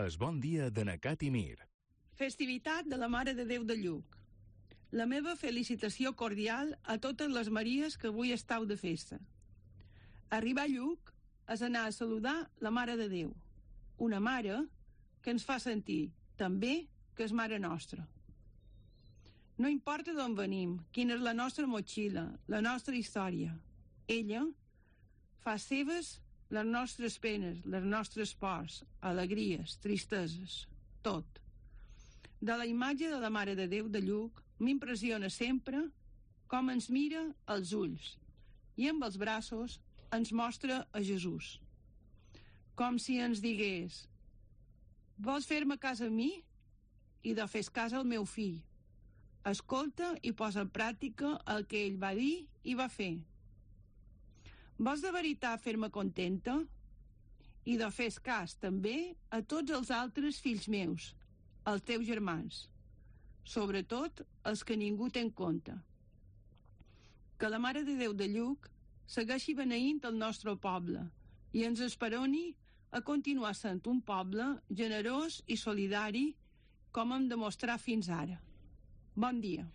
Es bon dia de Nacat i Mir. Festivitat de la Mare de Déu de Lluc. La meva felicitació cordial a totes les Maries que avui estàu de festa. Arribar a Lluc és anar a saludar la Mare de Déu, una mare que ens fa sentir, també, que és mare nostra. No importa d'on venim, quina és la nostra motxilla, la nostra història. Ella fa seves les nostres penes, les nostres pors, alegries, tristeses, tot. De la imatge de la Mare de Déu de Lluc m'impressiona sempre com ens mira als ulls i amb els braços ens mostra a Jesús. Com si ens digués: vols fer-me cas a mi? I fes cas al meu fill. Escolta i posa en pràctica el que ell va dir i va fer. Vols de veritat fer-me contenta? I fes cas també a tots els altres fills meus, els teus germans, sobretot els que ningú té en compte. Que la Mare de Déu de Lluc segueixi beneint el nostre poble i ens esperoni a continuar sent un poble generós i solidari com hem demostrat fins ara. Bon dia.